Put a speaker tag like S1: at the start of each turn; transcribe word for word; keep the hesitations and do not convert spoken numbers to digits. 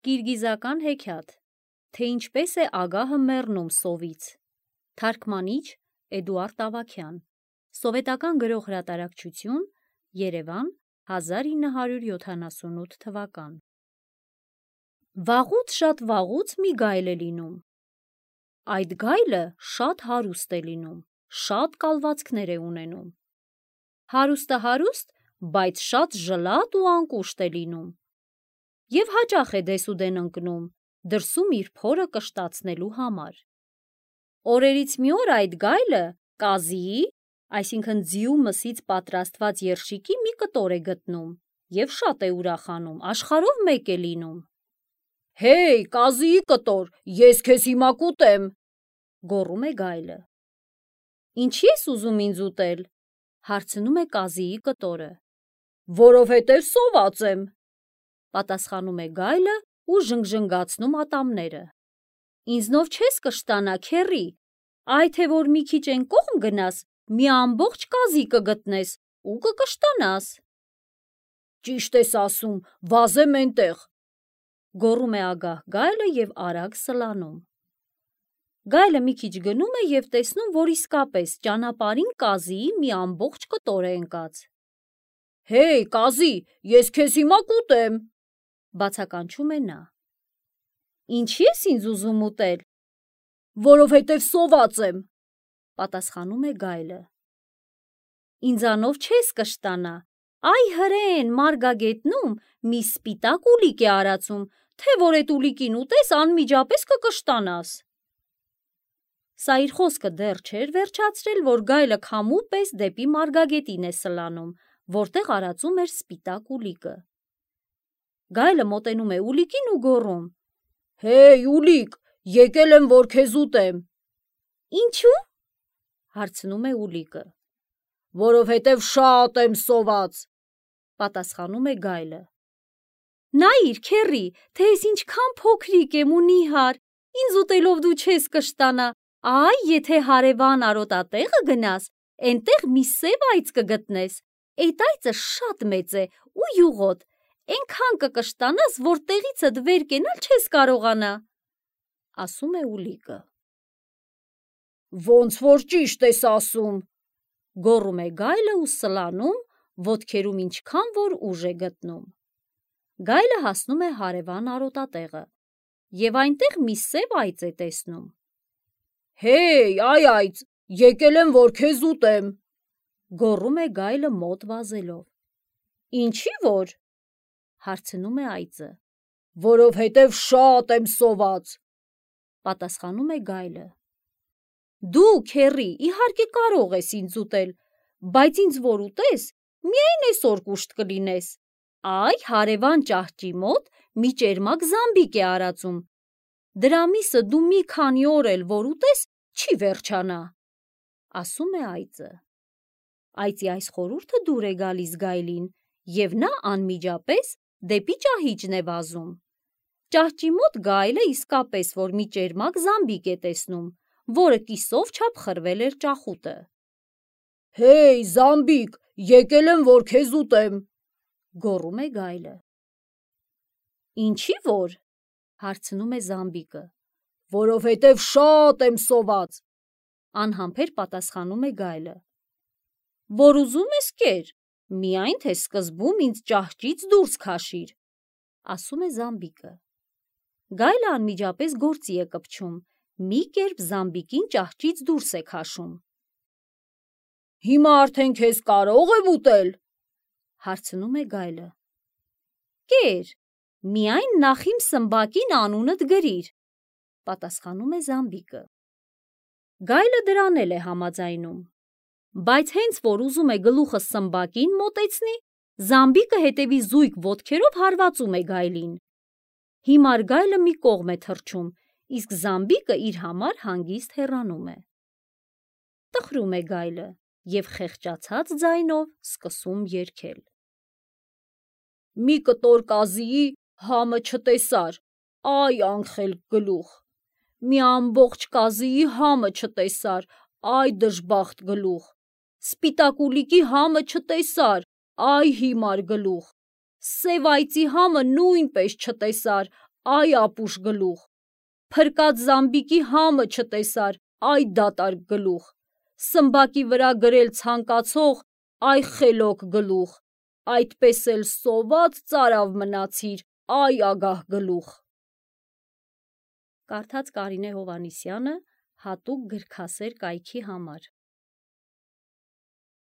S1: Կիրգիզական հեքիաթ, թե ինչպես է ագահը մեռնում սովից։ Թարգմանիչ Էդուարդ Ավագյան, Սովետական գրող հրատարակչություն, Երևան, հազար ինը հարյուր յոթանասունութ թվական։ Վաղուց շատ վաղուց մի գայլ է լինում։ Այդ գայլը շատ հարուստ է լինում, շատ կալվածքներ է ունենում։ Հարուստը հարուստ, բայց շատ ժլատ ու անկուշտ է լինում։ Եվ հաճախ է դեսուդեն ընկնում, դրսում իր փորը կշտացնելու համար։ Օրերից մի օր այդ գայլը կազիի, այսինքն ձիու մսից պատրաստված երշիկի մի կտոր է գտնում և շատ է ուրախանում, աշխարհով մեկ է լինում։ «Հեյ, կազիի կտոր, ես քեզ հիմա կուտեմ», գոռում է գայլը։ «Ինչի՞ ես ուզում ինձ ուտել», հարցնում է կազիի կտորը։ «Որովհետև սոված եմ», պատասխանում է գայլը ու ժնգժնգացնում ատամները։ «Ինձնով չես կշտանա, քեռի, այ թե որ մի քիչ էն կողմ գնաս, մի ամբողջ կազի կգտնես ու կկշտանաս»։ «Ճիշտ ես ասում, վազեմ էնտեղ», գոռում է ագահ գայլը և արագ սլանում։ Գայլը մի քիչ գնում է և տեսնում, որ իսկապես ճանապարհին կազիի մի ամբողջ կտոր է ընկած։ «Հեյ, կազի, ես քեզ հիմա կուտեմ», բացականչում է նա։ «Ինչի՞ ես ինձ ուզում ուտել», «Որովհետև սոված եմ», պատասխանում է գայլը։ «Ինձանով չես կշտանա, այ հրեն մարգագետնում մի սպիտակ ուլիկ է արածում, թե որ էդ ուլիկին ուտես, անմիջապես կկշտանաս»։ Սա իր խոսքը դեռ չէր վերջացրել, որ գայլը քամու պես դեպի մարգագետին է սլանում, որտեղ արածում էր սպիտակ ուլիկը։ Գայլը մոտենում է ուլիկին ու գոռում. «Հեյ, ուլիկ, եկել եմ, որ քեզ ուտեմ»։ «Ինչու՞, հարցնում է ուլիկը։ «Որովհետև շատ եմ սոված», պատասխանում է գայլը։ «Նայիր, քեռի, թե ես ինչքան փոքրիկ եմ ու նիհար, ինձ ուտելով դու չես կշտանա, այ եթե հարևան արոտատեղը գնաս, էնտեղ մի սև այծ կգտնես, էդ այծը շատ մեծ է ու յուղոտ, էնքան կկշտանաս, որ տեղիցդ վեր կենալ չես կարողանա», ասում է ուլիկը։ «Ոնց որ ճիշտ ես ասում», գոռում է գայլը ու սլանում, ոտքերում ինչքան որ ուժ է գտնում։ Գայլը հասնում է հարևան արոտատեղը և այնտեղ մի սև այծ է տեսնում։ «Հեյ, այ այծ, եկել եմ, որ քեզ ուտեմ», գոռում է գայլը մոտ վազելով։ «Ինչի՞ որ», հարցնում է այծը։ «Որովհետև շատ եմ սոված», պատասխանում է գայլը։ «Դու, քեռի, իհարկե կարող ես ինձ ուտել, բայց ինձ որ ուտես, միայն էսօր կուշտ կլինես, այ հարևան ճահճի մոտ մի ճերմակ զամբիկ է արածում, դրա միսը դու մի քանի օր էլ որ ուտես, չի վերջանա», ասում է այծը։ Այծի այս խորհուրդը դուր է գալիս գայլին, և նա անմիջապես դեպի ճահիճն է վազում։ Ճահճի մոտ գայլը իսկապես որ մի ճերմակ զամբիկ է տեսնում, որը կիսով չափ խրվել էր ճախուտը։ «Հեյ, զամբիկ, եկել եմ, որ քեզ ուտեմ», գոռում է գայլը։ «Ինչի՞ որ», հարցնում է զամբիկը։ «Որովհետև շատ եմ սոված», անհամբեր պատասխանում է գայլը։ «Որ ուզում ես կեր, միայն թե սկզբում ինձ ճահճից դուրս քաշիր», ասում է զամբիկը։ Գայլը անմիջապես գործի է կպչում, մի կերպ զամբիկին ճահճից դուրս է քաշում։ «Հիմա արդեն քեզ կարո՞ղ եմ ուտել», հարցնում է գայլը։ «Կեր, միայն նախ իմ սմբակին անունդ գրիր», պատասխանում է զամբիկը։ Գայլը դրան էլ է համաձայնում, բայց հենց որ ուզում է գլուխը սմբակին մոտեցնի, զամբիկը հետևի զույգ ոտքերով հարվածում է գայլին։ Հիմար գայլը մի կողմ է թռչում, իսկ զամբիկը իր համար հանգիստ հեռանում է։ Տխրում է գայլը և խեղճացած ձայնով սկսում երգել. «Մի կտոր կազիի համը չտեսար, այ անխելք գլուխ, մի ամբողջ կազիի համը չտեսար, այ դժբախտ գլուխ, սպիտակ ուլիկի համը չտեսար, այ հիմար գլուխ, սև այծի համը նույնպես չտեսար, այ ապուշ գլուխ, փրկած Զամբիկի համը չտեսար, այ դատարկ գլուխ, սմբակի վրա գրել ցանկացող, այ խելոք գլուխ, այդպես էլ սոված ծարավ մնացիր, այ ագահ գլուխ։ Կարդաց Կարինե Հովհաննիսյանը հատուկ գրքասեր կայքի համար։